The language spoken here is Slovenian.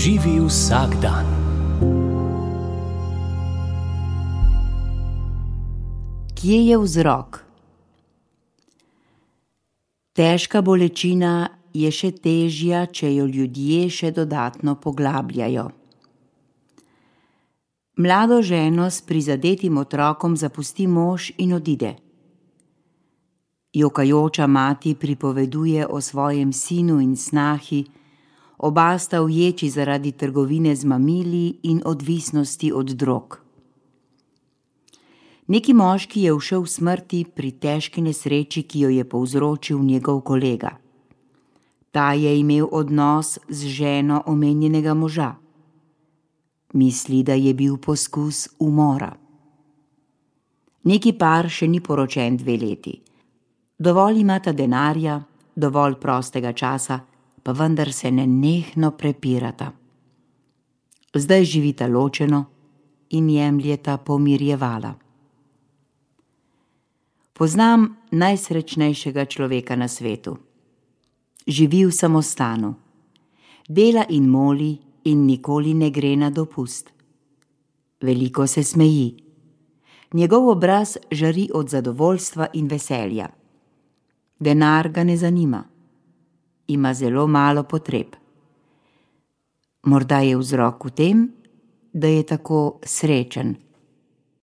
Živi vsak dan. Kje je vzrok? Težka bolečina je še težja, če jo ljudje še dodatno poglabljajo. Mlado ženo s prizadetim otrokom zapusti mož in odide. Jokajoča mati pripoveduje o svojem sinu in snahi, oba sta uječi zaradi trgovine z mamili in odvisnosti od drog. Neki moški je ušel smrti pri težki nesreči, ki jo je povzročil njegov kolega. Ta je imel odnos z ženo omenjenega moža. Misli, da je bil poskus umora. Neki par še ni poročen 2 leti. Dovolj imata denarja, dovolj prostega časa, pa vendar se nenehno prepirata. Zdaj živita ločeno in jemljeta pomirjevala. Poznam najsrečnejšega človeka na svetu. Živi v samostanu. Dela in moli in nikoli ne gre na dopust. Veliko se smeji. Njegov obraz žari od zadovoljstva in veselja. Denar ga ne zanima. Ima zelo malo potreb. Morda je vzrok v tem, da je tako srečen.